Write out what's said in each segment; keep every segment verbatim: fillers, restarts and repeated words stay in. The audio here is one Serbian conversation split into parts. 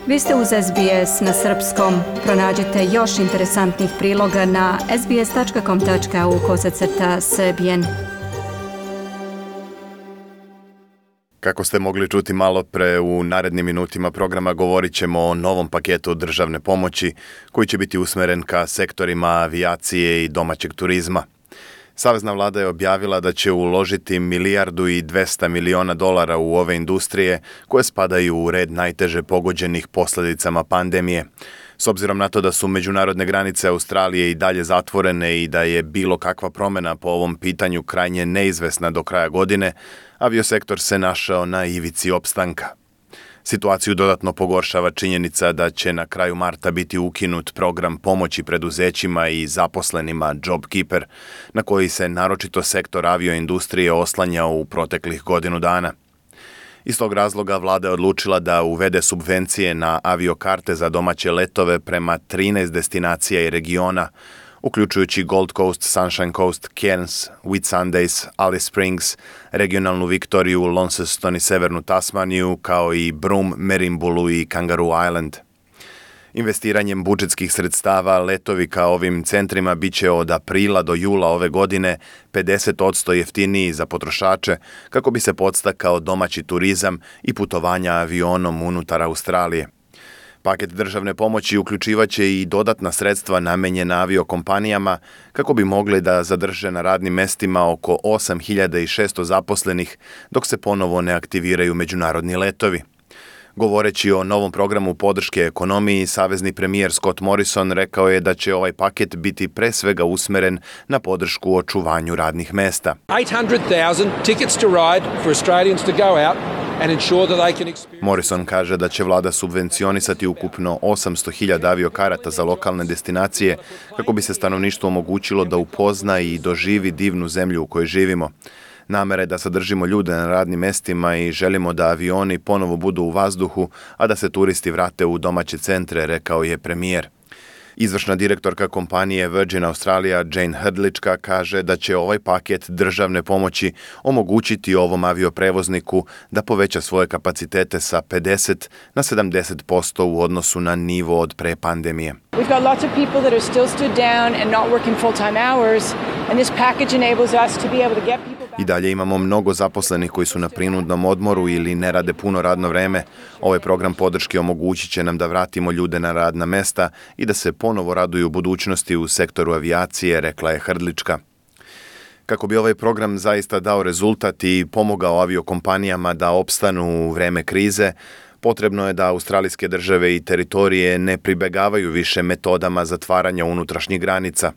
Vi ste uz S B S na srpskom. Pronađite još interesantnih priloga na sbs.com.au kosacrta srbijen. Kako ste mogli čuti malo pre, u narednim minutima programa govorit ćemo o novom paketu državne pomoći koji će biti usmeren ka sektorima avijacije i domaćeg turizma. Savezna vlada je objavila da će uložiti milijardu i dvesta miliona dolara u ove industrije koje spadaju u red najteže pogođenih posljedicama pandemije. S obzirom na to da su međunarodne granice Australije i dalje zatvorene i da je bilo kakva promjena po ovom pitanju krajnje neizvesna do kraja godine, aviosektor se našao na ivici opstanka. Situaciju dodatno pogoršava činjenica da će na kraju marta biti ukinut program pomoći preduzećima i zaposlenima JobKeeper, na koji se naročito sektor avioindustrije oslanjao u proteklih godinu dana. Iz tog razloga vlada je odlučila da uvede subvencije na aviokarte za domaće letove prema trinaest destinacija i regiona, uključujući Gold Coast, Sunshine Coast, Cairns, Whitsundays, Alice Springs, regionalnu Viktoriju, Launceston i severnu Tasmaniju, kao i Broome, Merimbulu i Kangaroo Island. Investiranjem budžetskih sredstava letovi ka ovim centrima bit će od aprila do jula ove godine pedeset posto jeftiniji za potrošače kako bi se podstakao domaći turizam i putovanja avionom unutar Australije. Paket državne pomoći uključivaće i dodatna sredstva namenjena aviokompanijama kako bi mogli da zadrže na radnim mestima oko osam hiljada šesto zaposlenih dok se ponovo ne aktiviraju međunarodni letovi. Govoreći o novom programu podrške ekonomiji, savezni premijer Scott Morrison rekao je da će ovaj paket biti pre svega usmeren na podršku očuvanju radnih mesta. eight hundred thousand tickets to ride for Australians to go out and ensure that they can experience... Morrison kaže da će vlada subvencionisati ukupno osamsto hiljada aviokarata za lokalne destinacije kako bi se stanovništvu omogućilo da upozna i doživi divnu zemlju u kojoj živimo. Namera je da sadržimo ljude na radnim mestima i želimo da avioni ponovo budu u vazduhu, a da se turisti vrate u domaće centre, rekao je premijer. Izvršna direktorka kompanije Virgin Australia Jane Hrdlička kaže da će ovaj paket državne pomoći omogućiti ovom avioprevozniku da poveća svoje kapacitete sa pedeset na sedamdeset posto u odnosu na nivo od pre pandemije. We've got lots of people that are still stood down and not working full-time hours, and this package enables us to be able to get people back. I dalje imamo mnogo zaposlenih koji su na prinudnom odmoru ili ne rade puno radno vreme. Ovaj program podrške omogućit će nam da vratimo ljude na radna mesta i da se ponovo raduju budućnosti u sektoru avijacije, rekla je Hrdlička. Kako bi ovaj program zaista dao rezultat i pomogao aviokompanijama da opstanu u vreme krize, potrebno je da australijske države i teritorije ne pribegavaju više metodama zatvaranja unutrašnjih granica.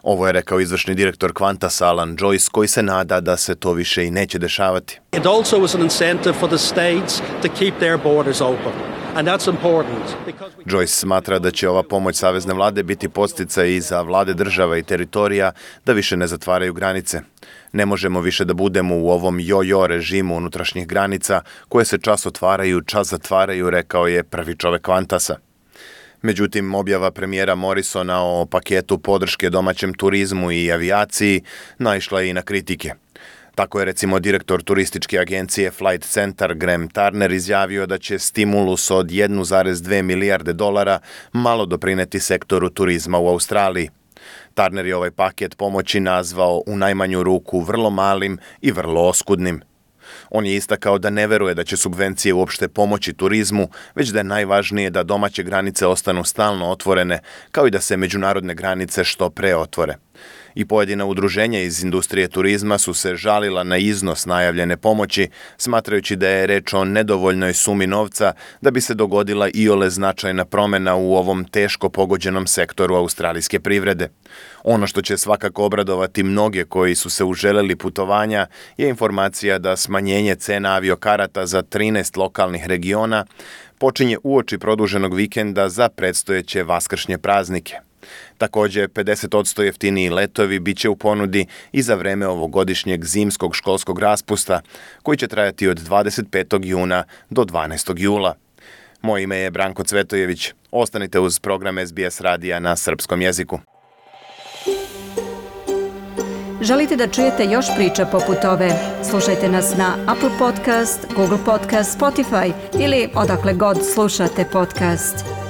Ovo je rekao izvršni direktor Qantas Alan Joyce, koji se nada da se to više i neće dešavati. It also was an incentive for the states to keep their borders open. And that's important because we... Joyce smatra da će ova pomoć savezne vlade biti podsticaj i za vlade država i teritorija da više ne zatvaraju granice. Ne možemo više da budemo u ovom jo-jo režimu unutrašnjih granica koje se čas otvaraju, čas zatvaraju, rekao je prvi čovek Qantasa. Međutim, objava premijera Morrisona o paketu podrške domaćem turizmu i avijaciji naišla je i na kritike. Tako je recimo direktor turističke agencije Flight Centre Graham Turner izjavio da će stimulus od jednu zarez dve milijarde dolara malo doprineti sektoru turizma u Australiji. Turner je ovaj paket pomoći nazvao u najmanju ruku vrlo malim i vrlo oskudnim. On je istakao da ne veruje da će subvencije uopšte pomoći turizmu, već da je najvažnije da domaće granice ostanu stalno otvorene, kao i da se međunarodne granice što pre otvore. I pojedina udruženja iz industrije turizma su se žalila na iznos najavljene pomoći, smatrajući da je reč o nedovoljnoj sumi novca da bi se dogodila iole značajna promjena u ovom teško pogođenom sektoru australijske privrede. Ono što će svakako obradovati mnoge koji su se uželeli putovanja je informacija da smanjenje cena aviokarata za trinaest lokalnih regiona počinje uoči produženog vikenda za predstojeće vaskršnje praznike. Također, pedeset posto jeftiniji letovi bit će u ponudi i za vreme ovogodišnjeg zimskog školskog raspusta, koji će trajati od dvadeset petog juna do dvanaestog jula. Moje ime je Branko Cvetojević. Ostanite uz program S B S radija na srpskom jeziku. Želite da čujete još priča poput ove? Slušajte nas na Apple Podcast, Google Podcast, Spotify ili odakle god slušate podcast.